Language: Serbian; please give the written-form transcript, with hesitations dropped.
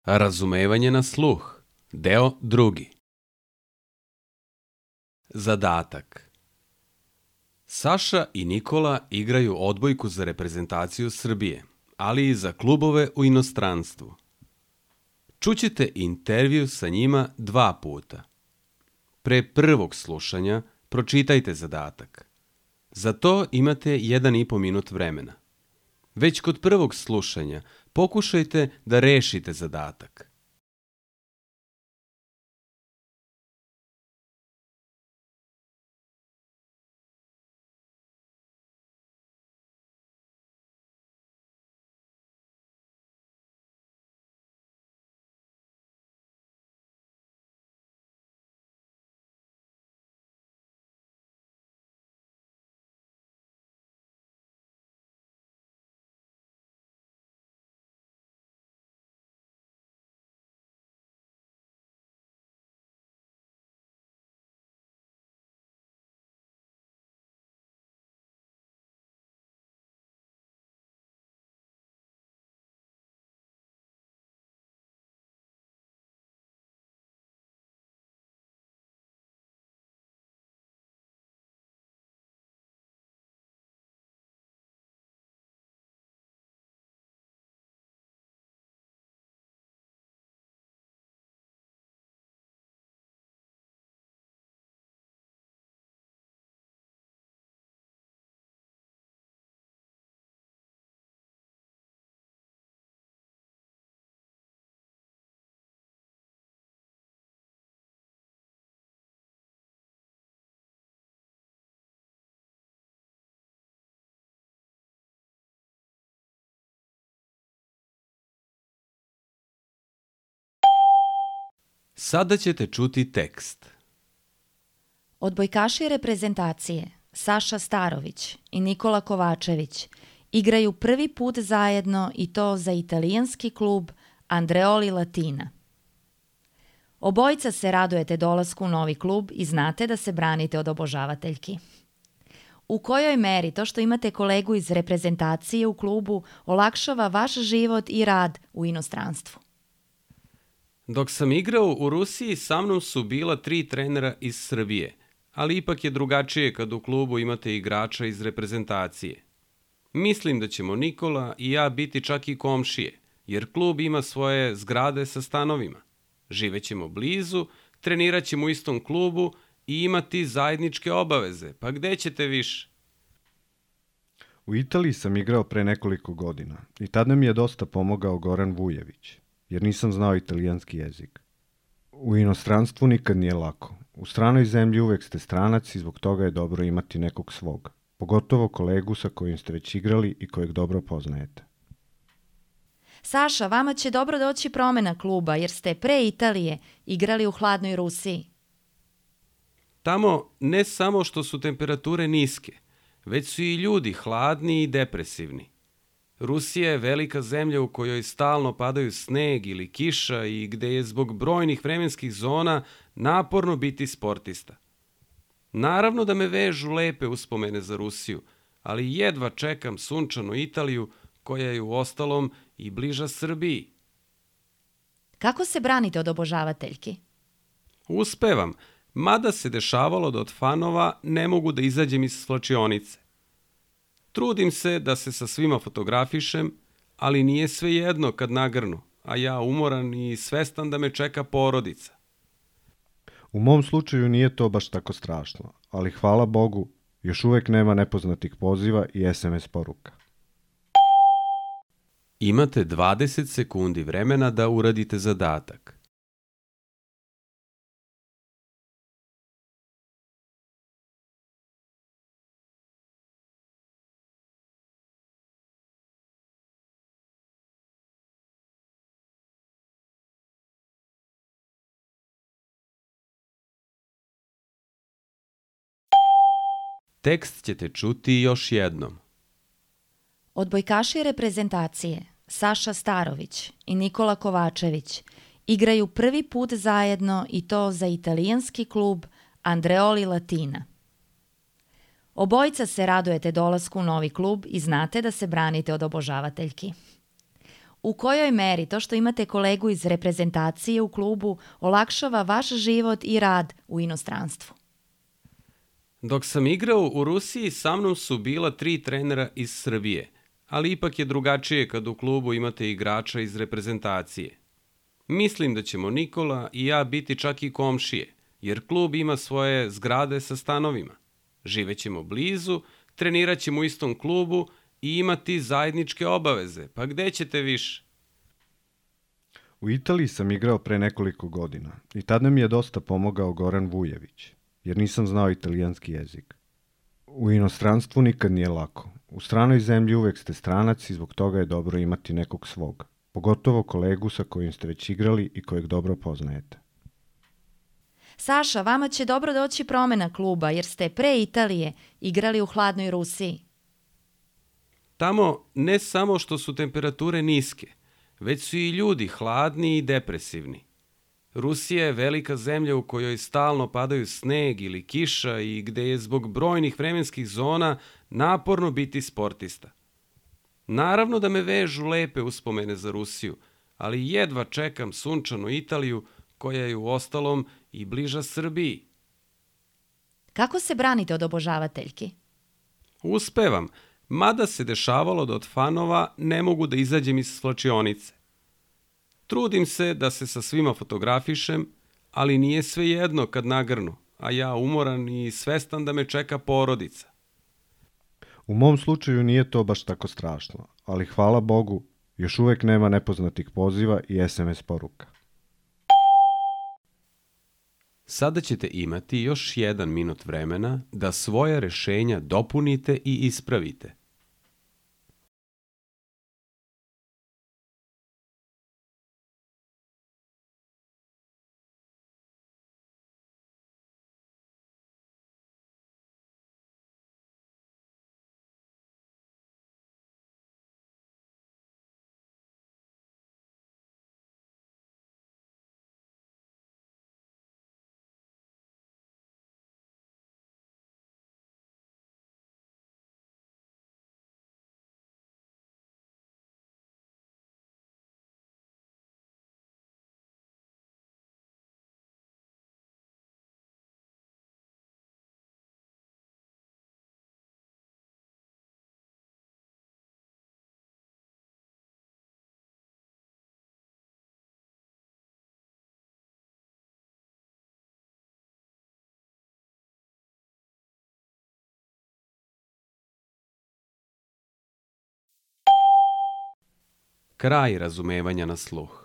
Razumevanje na sluh. Deo 2. Zadatak. Saša i Nikola igraju odbojku za reprezentaciju Srbije, ali i za klubove u inostranstvu. Čućete intervju sa njima 2 puta. Pre prvog slušanja pročitajte zadatak. Za to imate 1,5 minut vremena. Već kod prvog slušanja pokušajte da rešite zadatak. Sada ćete čuti tekst. Odbojkaši reprezentacije Saša Starović i Nikola Kovačević igraju prvi put zajedno i to za italijanski klub Andreoli Latina. Obojica se radujete dolasku u novi klub i znate da se branite od obožavateljki. U kojoj meri to što imate kolegu iz reprezentacije u klubu olakšava vaš život i rad u inostranstvu? Dok sam igrao u Rusiji, sa mnom su bila 3 trenera iz Srbije, ali ipak je drugačije kad u klubu imate igrača iz reprezentacije. Mislim da ćemo Nikola i ja biti čak i komšije, jer klub ima svoje zgrade sa stanovima. Živećemo blizu, trenirat ćemo u istom klubu i imati zajedničke obaveze, pa gde ćete više? U Italiji sam igrao pre nekoliko godina i tada mi je dosta pomogao Goran Vujević, jer nisam znao italijanski jezik. U inostranstvu nikad nije lako. U stranoj zemlji uvek ste stranac i zbog toga je dobro imati nekog svog, pogotovo kolegu sa kojim ste već igrali i kojeg dobro poznajete. Saša, vama će dobro doći promena kluba jer ste pre Italije igrali u hladnoj Rusiji. Tamo ne samo što su temperature niske, već su i ljudi hladni i depresivni. Rusija je velika zemlja u kojoj stalno padaju sneg ili kiša i gde je zbog brojnih vremenskih zona naporno biti sportista. Naravno da me vežu lepe uspomene za Rusiju, ali jedva čekam sunčanu Italiju koja je u ostalom i bliža Srbiji. Kako se branite od obožavateljki? Uspevam, mada se dešavalo da od fanova ne mogu da izađem iz svlačionice. Trudim se da se sa svima fotografišem, ali nije svejedno kad nagrnu, a ja umoran i svestan da me čeka porodica. U mom slučaju nije to baš tako strašno, ali hvala Bogu, još uvek nema nepoznatih poziva i SMS poruka. Imate 20 sekundi vremena da uradite zadatak. Tekst ćete čuti još jednom. Odbojkaši reprezentacije Saša Starović i Nikola Kovačević igraju prvi put zajedno i to za italijanski klub Andreoli Latina. Obojica se radujete dolasku u novi klub i znate da se branite od obožavateljki. U kojoj meri to što imate kolegu iz reprezentacije u klubu olakšava vaš život i rad u inostranstvu? Dok sam igrao u Rusiji, sa mnom su bila 3 trenera iz Srbije, ali ipak je drugačije kad u klubu imate igrača iz reprezentacije. Mislim da ćemo Nikola i ja biti čak i komšije, jer klub ima svoje zgrade sa stanovima. Živećemo blizu, trenirat ćemo u istom klubu i imati zajedničke obaveze, pa gde ćete više? U Italiji sam igrao pre nekoliko godina i tada mi je dosta pomogao Goran Vujević, jer nisam znao italijanski jezik. U inostranstvu nikad nije lako. U stranoj zemlji uvek ste stranac i zbog toga je dobro imati nekog svog, pogotovo kolegu sa kojim ste već igrali i kojeg dobro poznajete. Saša, vama će dobro doći promena kluba jer ste pre Italije igrali u hladnoj Rusiji. Tamo ne samo što su temperature niske, već su i ljudi hladni i depresivni. Rusija je velika zemlja u kojoj stalno padaju sneg ili kiša i gde je zbog brojnih vremenskih zona naporno biti sportista. Naravno da me vežu lepe uspomene za Rusiju, ali jedva čekam sunčanu Italiju koja je u ostalom i bliža Srbiji. Kako se branite od obožavateljki? Uspevam, mada se dešavalo da od fanova ne mogu da izađem iz svlačionice. Trudim se da se sa svima fotografišem, ali nije svejedno kad nagrnu, a ja umoran i svestan da me čeka porodica. U mom slučaju nije to baš tako strašno, ali hvala Bogu, još uvek nema nepoznatih poziva i SMS poruka. Sada ćete imati još 1 minut vremena da svoja rešenja dopunite i ispravite. Kraj razumevanja na sluh.